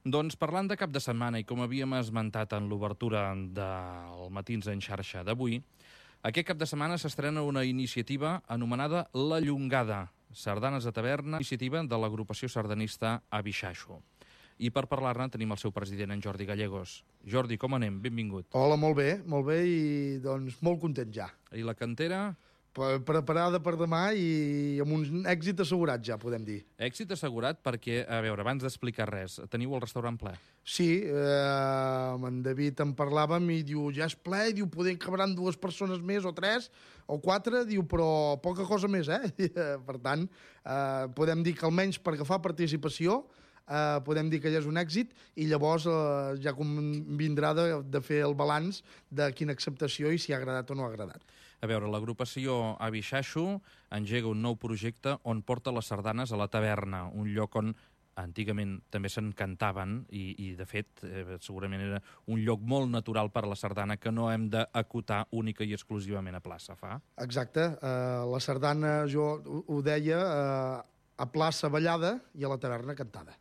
Doncs parlant de cap de setmana i com havíem esmentat en l'obertura del Matins en xarxa d'avui, aquest cap de setmana s'estrena una iniciativa anomenada La Llongada, sardanes a taverna, iniciativa de l'agrupació sardanista Abixaixo. I per parlar-ne tenim el seu president, en Jordi Gallegos. Jordi, com anem? Benvingut. Hola, molt bé i doncs molt content ja. I la cantera? Preparada per demà i amb un èxit assegurat ja, podem dir. Èxit assegurat perquè, a veure, abans d'explicar res, teniu el restaurant ple? Sí, amb en David en parlàvem i diu, ja és ple, i diu, poder cabran 2 persones més o 3 o 4, diu, però poca cosa més, Per tant, podem dir que almenys per agafar participació podem dir que ja és un èxit i llavors ja convindrà de fer el balanç de quina acceptació i si ha agradat o no ha agradat. A veure, l'agrupació Abixaixo engega un nou projecte on porta les sardanes a la taverna, un lloc on antigament també se'n cantaven i de fet, segurament era un lloc molt natural per a la sardana que no hem d'acotar única i exclusivament a plaça, fa? Exacte. La sardana, jo ho deia, a plaça ballada i a la taverna cantada.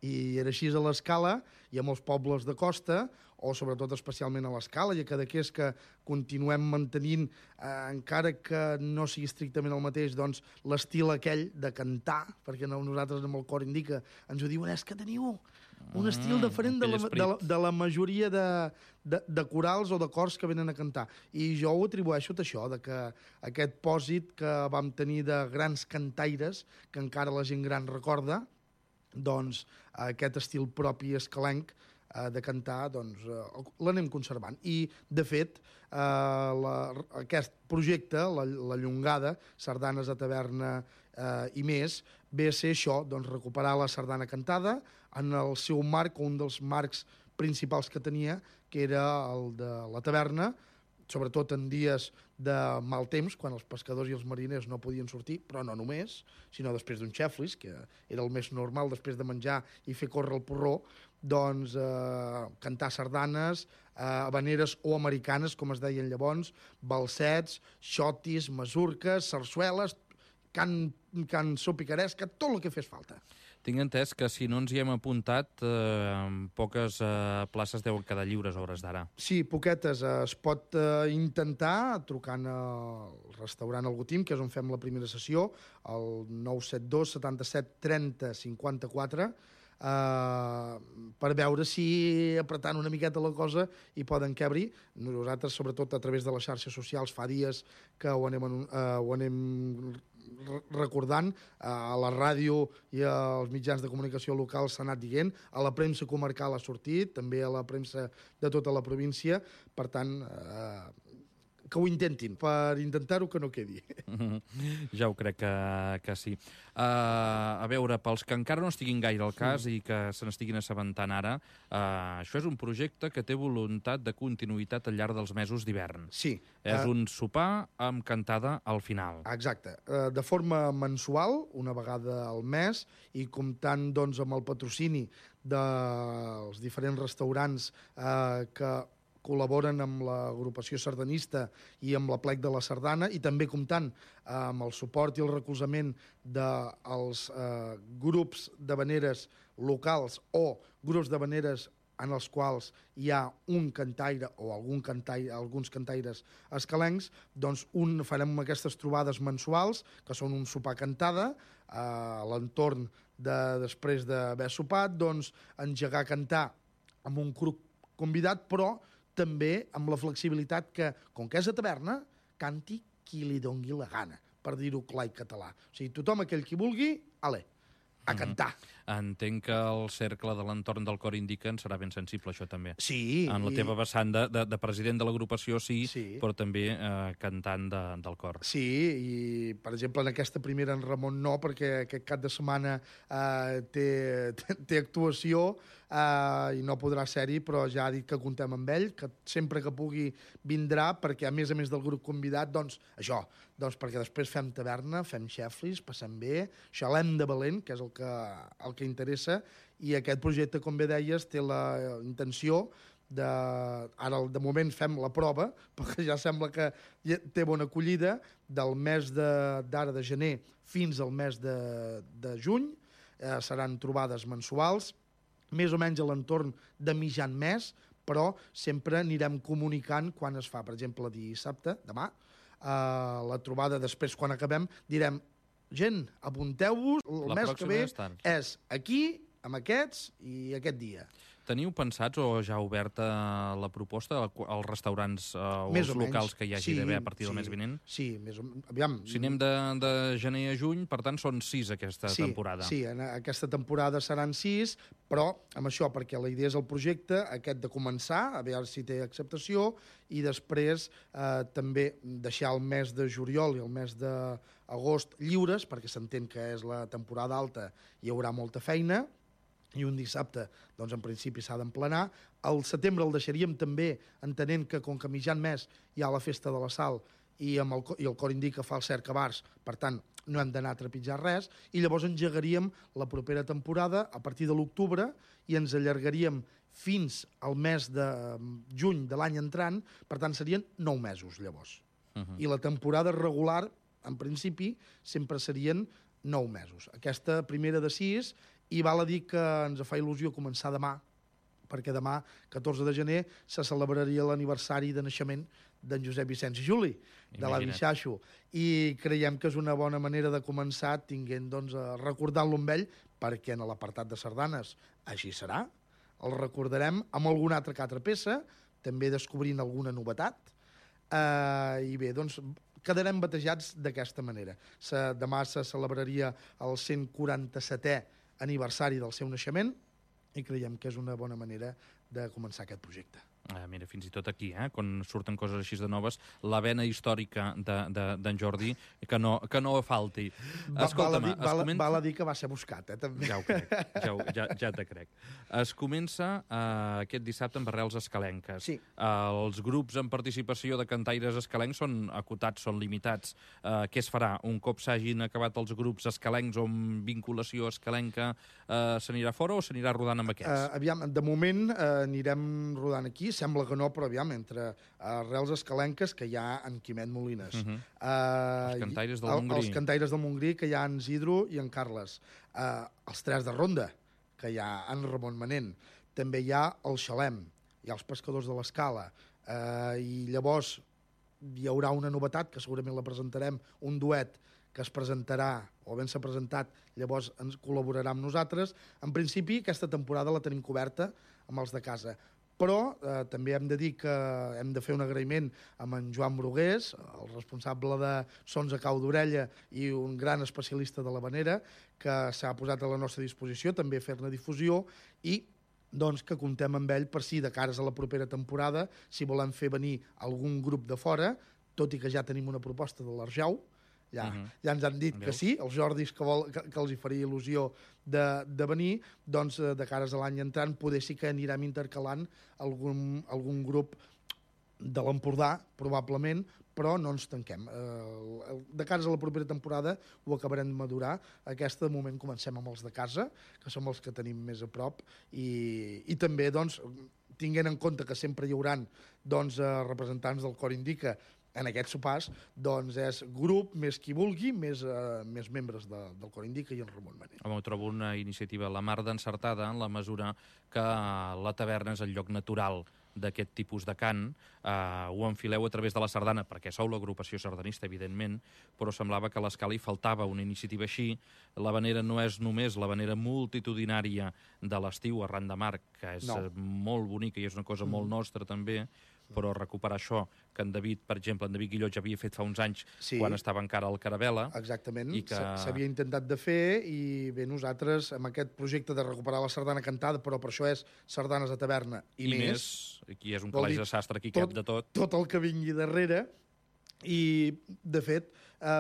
I era així a l'Escala i a molts pobles de costa, o sobretot especialment a l'Escala, i a Cadaqués, que continuem mantenint, encara que no sigui estrictament el mateix, doncs l'estil aquell de cantar, perquè nosaltres amb el cor indica ens ho diuen, és que teniu un estil diferent de la majoria de corals o de cors que venen a cantar. I jo ho atribueixo a això, de que aquest pòsit que vam tenir de grans cantaires, que encara la gent gran recorda, doncs aquest estil propi escalenc de cantar, doncs l'anem conservant. I, de fet, aquest projecte, la Llongada, sardanes a taverna i més, ve a ser això, doncs recuperar la sardana cantada en el seu marc, o un dels marcs principals que tenia, que era el de la taverna, sobretot en dies de mal temps, quan els pescadors i els mariners no podien sortir, però no només, sinó després d'un xeflis, que era el més normal després de menjar i fer córrer el porró, doncs cantar sardanes, habaneres o americanes, com es deien llavors, balsets, xotis, masurques, sarsueles, cançó picaresca, tot el que fes falta. Tinc entès que si no ens hi hem apuntat, poques places deuen quedar lliures a hores d'ara. Sí, poquetes. Es pot intentar trucant al restaurant El Gotim, que és on fem la primera sessió, al 972 77 30 54, per veure si apretant una miqueta la cosa hi poden cabre. Nosaltres, sobretot a través de les xarxes socials, fa dies que ho anem recordant, a la ràdio i als mitjans de comunicació locals s'ha anat dient, a la premsa comarcal ha sortit, també a la premsa de tota la província, per tant, que ho intentin, per intentar-ho que no quedi. Ja ho crec que sí. A veure, pels que encara no estiguin gaire al cas i que se n'estiguin assabentant ara, això és un projecte que té voluntat de continuïtat al llarg dels mesos d'hivern. Sí. És un sopar amb cantada al final. Exacte. De forma mensual, una vegada al mes, i comptant doncs, amb el patrocini dels diferents restaurants que col·laboren amb l'agrupació sardanista i amb la plec de la sardana, i també comptant amb el suport i el recolzament dels grups d'habaneres locals o grups d'habaneres en els quals hi ha un cantaire o alguns cantaires escalencs, doncs farem aquestes trobades mensuals, que són un sopar cantada, a l'entorn després d'haver sopat, doncs engegar a cantar amb un grup convidat, però també amb la flexibilitat que, com que és a taverna, canti qui li dongui la gana, per dir-ho clar i català. O sigui, tothom aquell qui vulgui, ale, a cantar. Entenc que el cercle de l'entorn del cor indica en serà ben sensible, això també. Sí. En la teva vessant de president de l'agrupació, sí, però també cantant del cor. Sí, i per exemple en aquesta primera en Ramon no, perquè aquest cap de setmana té actuació i no podrà ser-hi, però ja ha dit que contem amb ell, que sempre que pugui vindrà, perquè a més del grup convidat, doncs això, doncs perquè després fem taverna, fem xeflis, passem bé, xalem de valent, que és el que interessa, i aquest projecte, com bé deies, té la intenció ara de moment fem la prova, perquè ja sembla que té bona acollida, del mes d'ara de gener fins al mes de juny, seran trobades mensuals, més o menys a l'entorn de mitjan mes, però sempre anirem comunicant quan es fa. Per exemple, dissabte, demà, la trobada després, quan acabem, direm: gent, apunteu-vos, el mes que ve és aquí, amb aquests i aquest dia. Teniu pensats o ja oberta la proposta als restaurants o als locals que hi hagi d'haver a partir del mes vinent? Sí, aviam. Si anem de gener a juny, per tant, són 6 aquesta temporada. Sí, en aquesta temporada seran 6, però amb això, perquè la idea és el projecte, aquest de començar, a veure si té acceptació, i després també deixar el mes de juliol i el mes d'agost lliures, perquè s'entén que és la temporada alta, hi haurà molta feina, i un dissabte, doncs en principi s'ha d'emplenar. Al setembre el deixaríem també, entenent que com que mitjan mes hi ha la festa de la Sal i el Cor Indica fa el cercabars, per tant, no hem d'anar a trepitjar res, i llavors engegaríem la propera temporada a partir de l'octubre i ens allargaríem fins al mes de juny de l'any entrant, per tant, serien 9 mesos, llavors. I la temporada regular, en principi, sempre serien 9 mesos. Aquesta primera de 6, i val a dir que ens fa il·lusió començar demà, perquè demà, 14 de gener, se celebraria l'aniversari de naixement d'en Josep Vicenç i Juli, de l'avi Xaxo, i creiem que és una bona manera de començar recordant-lo amb ell, perquè en l'apartat de sardanes així serà, el recordarem amb alguna altra peça, també descobrint alguna novetat, i bé, doncs, quedarem batejats d'aquesta manera. Demà se celebraria el 147è aniversari del seu naixement i creiem que és una bona manera de començar aquest projecte. Mira, fins i tot aquí, quan surten coses així de noves, la vena històrica d'en Jordi, que no falti. Val a dir que va ser buscat, també. Ja ho crec, ja te crec. Es comença aquest dissabte amb arrels escalenques. Sí. Els grups en participació de cantaires escalencs són acotats, són limitats. Què es farà? Un cop s'hagin acabat els grups escalencs o amb vinculació escalenca, s'anirà fora o s'anirà rodant amb aquests? Aviam, de moment anirem rodant aquí. Sembla que no, però aviam, entre arrels escalenques que hi ha en Quimet Molines. Els cantaires del Montgrí. Els cantaires del Montgrí, que hi ha en Isidro i en Carles. Els Tres de Ronda, que hi ha en Ramon Manent. També hi ha el Xalem, hi ha els Pescadors de l'Escala. I llavors hi haurà una novetat, que segurament la presentarem, un duet que es presentarà, o ben s'ha presentat, llavors ens col·laborarà amb nosaltres. En principi, aquesta temporada la tenim coberta amb els de casa. Però també hem de dir que hem de fer un agraïment amb en Joan Brugués, el responsable de Sons a Cau d'Orella i un gran especialista de l'havanera, que s'ha posat a la nostra disposició també fer-ne difusió i doncs, que comptem amb ell per si de cares a la propera temporada, si volem fer venir algun grup de fora, tot i que ja tenim una proposta de l'Arjau, ja ens han dit que sí, els Jordis que els hi faria il·lusió de venir, doncs de cares a l'any entrant poder sí que anirem intercalant algun grup de l'Empordà, probablement, però no ens tanquem. De cares a la propera temporada ho acabarem de madurar. Aquesta, de moment, comencem amb els de casa, que som els que tenim més a prop, i també, doncs, tinguent en compte que sempre hi haurà representants del Cor Indica en aquests sopars, doncs és grup, més qui vulgui, més membres del Cor Indica i en Ramon Manent. Home, ho trobo una iniciativa la mar d'encertada en la mesura que la taverna és el lloc natural d'aquest tipus de cant. Ho enfileu a través de la sardana, perquè sou l'agrupació sardanista, evidentment, però semblava que a l'Escala hi faltava una iniciativa així. L'havanera no és només l'havanera multitudinària de l'estiu arran de mar, que és molt bonica i és una cosa molt nostra també, però recuperar això que en David, per exemple, en David Guillot ja havia fet fa uns anys quan estava encara al Carabela. Exactament, s'havia intentat de fer i bé, nosaltres amb aquest projecte de recuperar la sardana cantada, però per això és sardanes de taverna i més. Aquí és un calaix de sastre, aquí cap de tot. Tot el que vingui darrere. I, de fet,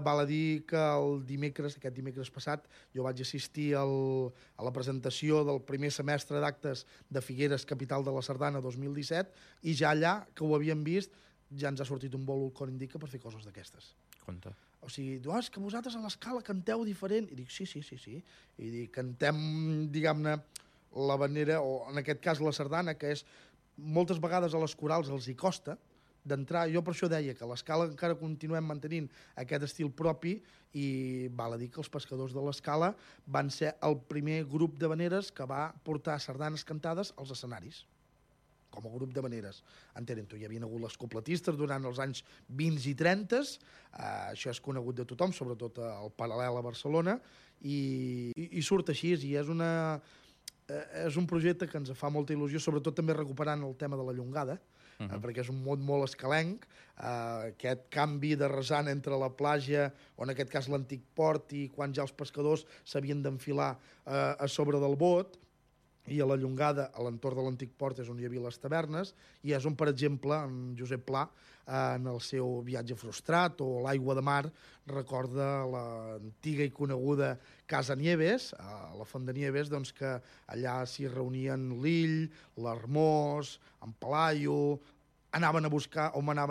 val a dir que aquest dimecres passat, jo vaig assistir a la presentació del primer semestre d'actes de Figueres, capital de la Sardana 2017, i ja allà, que ho havíem vist, ja ens ha sortit un bolo al Cor Indica per fer coses d'aquestes. Compte. O sigui, és que vosaltres a l'Escala canteu diferent. I dic, sí. I dic, cantem, diguem-ne, l'havanera, o en aquest cas la sardana, que és moltes vegades a les corals els hi costa, d'entrar, jo per això deia que a l'Escala encara continuem mantenint aquest estil propi i val a dir que els pescadors de l'Escala van ser el primer grup d'havaneres que va portar sardanes cantades als escenaris com a grup d'havaneres. Entenent-ho, hi havia hagut les copletistes durant els anys 20 i 30, això és conegut de tothom, sobretot al Paral·lel a Barcelona, i surt així, i és un projecte que ens fa molta il·lusió, sobretot també recuperant el tema de la llongada, perquè és un món molt escalenc, aquest canvi de resant entre la platja, o en aquest cas l'antic port, i quan ja els pescadors s'havien d'enfilar a sobre del bot, i a la Llongada, a l'entorn de l'antic port, és on hi havia les tavernes, i és on, per exemple, en Josep Pla, en el seu viatge frustrat o l'aigua de mar, recorda l'antiga i coneguda Casa Nieves, a la Font de Nieves, doncs que allà s'hi reunien l'Ill, l'Hermós, en Pelaio, m'anaven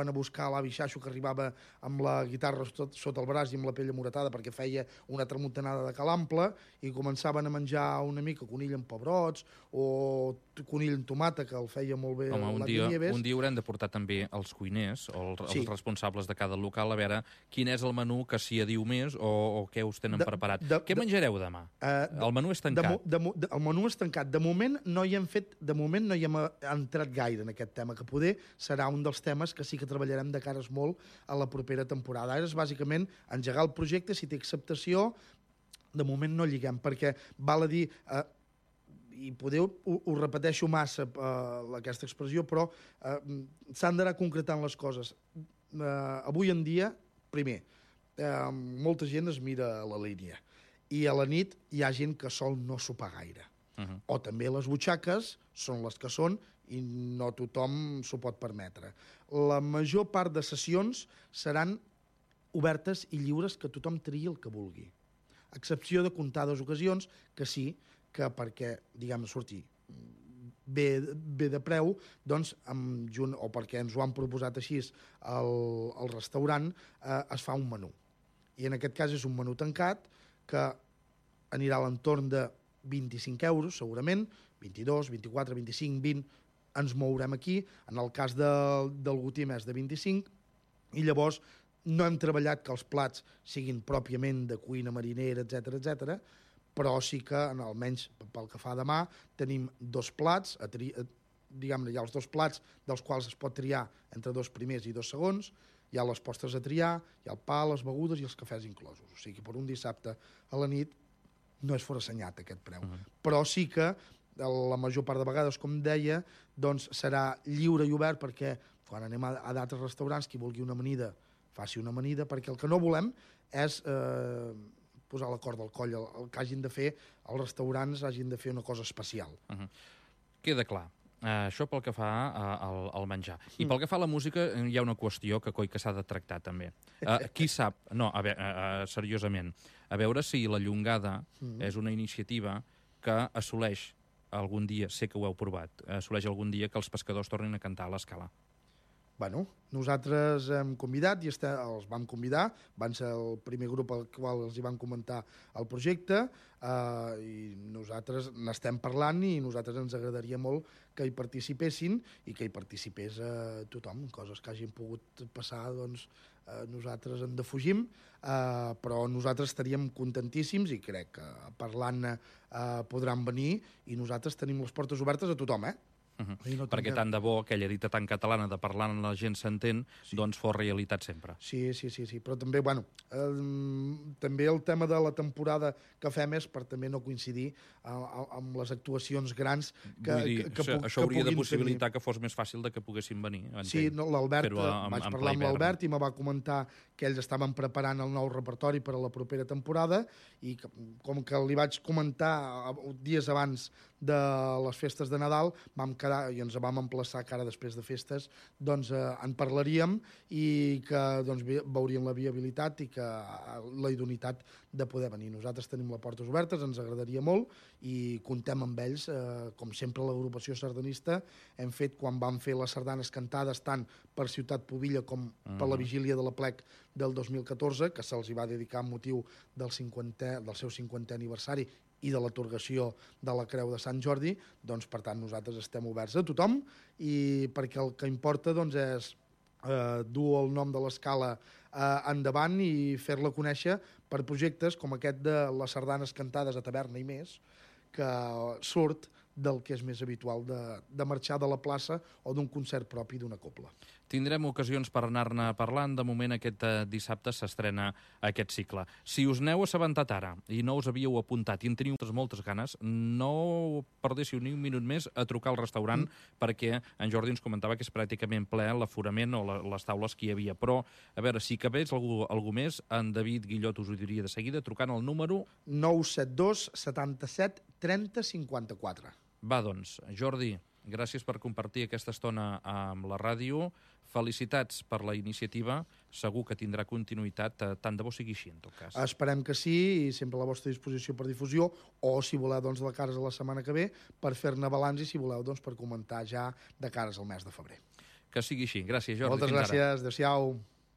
a buscar l'avi Xaixo, que arribava amb la guitarra sota el braç i amb la pell amoratada perquè feia una tramuntanada de calample, i començaven a menjar una mica conill amb pebrots o conill amb tomata, que el feia molt bé l'avi Nieves. Un dia haurem de portar també els cuiners o els responsables de cada local a veure quin és el menú que s'hi adiu més o què us tenen preparat. Què menjareu demà? El menú és tancat. El menú és tancat. De moment no hi hem entrat gaire en aquest tema, que poder serà un dels temes que sí que treballarem de cares molt a la propera temporada. Ara és bàsicament engegar el projecte, si té acceptació, de moment no lliguem, perquè val a dir, i poder ho repeteixo massa aquesta expressió, però s'han d'anar concretant les coses. Avui en dia, primer, molta gent es mira la línia, i a la nit hi ha gent que sol no sopar gaire. O també les butxaques són les que són i no tothom s'ho pot permetre. La major part de sessions seran obertes i lliures, que tothom triï el que vulgui. A excepció de comptades ocasions que sí, que perquè, diguem, sortir bé de preu, doncs, o perquè ens ho han proposat així al restaurant, es fa un menú. I en aquest cas és un menú tancat que anirà a l'entorn de 25 euros, segurament, 22, 24, 25, 20, ens mourem aquí. En el cas del Gotí més de 25, i llavors no hem treballat que els plats siguin pròpiament de cuina marinera, etc, però sí que, almenys pel que fa a demà, tenim dos plats, diguem-ne, hi ha els dos plats dels quals es pot triar entre dos primers i dos segons, hi ha les postres a triar, hi ha el pa, les begudes i els cafès inclosos. O sigui que per un dissabte a la nit no és forassenyat aquest preu. Però sí que la major part de vegades, com deia, doncs serà lliure i obert, perquè quan anem a d'altres restaurants, qui vulgui una amanida, faci una amanida, perquè el que no volem és posar la corda al coll. El que hagin de fer, els restaurants hagin de fer una cosa especial. Queda clar. Això pel que fa al menjar. I pel que fa a la música, hi ha una qüestió que coi que s'ha de tractar també. Qui sap... No, a veure, seriosament, a veure si la Llongada és una iniciativa que assoleix algun dia, sé que ho heu provat, assoleix algun dia que els pescadors tornin a cantar a l'Escala. Bueno, nosaltres hem convidat i els vam convidar, van ser el primer grup al qual els hi van comentar el projecte, i nosaltres n'estem parlant i nosaltres ens agradaria molt que hi participessin i que hi participés tothom. Coses que hagin pogut passar, doncs nosaltres en defugim, però nosaltres estaríem contentíssims i crec que parlant-ne podran venir, i nosaltres tenim les portes obertes a tothom, Perquè tant de bo aquella dita tan catalana de parlar amb la gent s'entén, doncs fos realitat sempre. Sí, però també, bueno, també el tema de la temporada que fem és per també no coincidir amb les actuacions grans que això hauria de possibilitar que fos més fàcil de que poguessin venir. Sí, l'Albert, vaig parlar amb l'Albert i me va comentar que ells estaven preparant el nou repertori per a la propera temporada, i com que li vaig comentar dies abans de les festes de Nadal, vam quedar i ens vam emplaçar que ara després de festes doncs en parlaríem i que doncs veuríem la viabilitat i que la idoneïtat de poder venir. Nosaltres tenim les portes obertes, ens agradaria molt i contem amb ells. Com sempre, l'agrupació sardanista hem fet, quan vam fer les sardanes cantades tant per Ciutat Pubilla com per la vigília de l'Aplec del 2014, que se'ls va dedicar amb motiu del seu 50è aniversari i de l'atorgació de la Creu de Sant Jordi, doncs, per tant, nosaltres estem oberts a tothom, i perquè el que importa doncs, és dur el nom de l'escala endavant i fer-la conèixer per projectes com aquest de les sardanes cantades a taverna i més, que surt del que és més habitual de marxar de la plaça o d'un concert propi d'una cobla. Tindrem ocasions per anar-ne parlant. De moment, aquest dissabte s'estrena aquest cicle. Si us n'heu assabentat ara i no us havíeu apuntat i en teniu moltes ganes, no perdéssiu ni un minut més a trucar al restaurant perquè en Jordi ens comentava que és pràcticament ple l'aforament o les taules que hi havia. Però, a veure, si cabés algú més, en David Guillot us ho diria de seguida, trucant al número 972 77 30 54. Va, doncs, Jordi, gràcies per compartir aquesta estona amb la ràdio. Felicitats per la iniciativa. Segur que tindrà continuïtat, tant de bo sigui així, en tot cas. Esperem que sí, i sempre a la vostra disposició per difusió, o, si voleu, doncs, de cares a la setmana que ve, per fer-ne balanç, i, si voleu, doncs, per comentar ja de cares al mes de febrer. Que sigui així. Gràcies, Jordi. Moltes gràcies. Adéu-siau.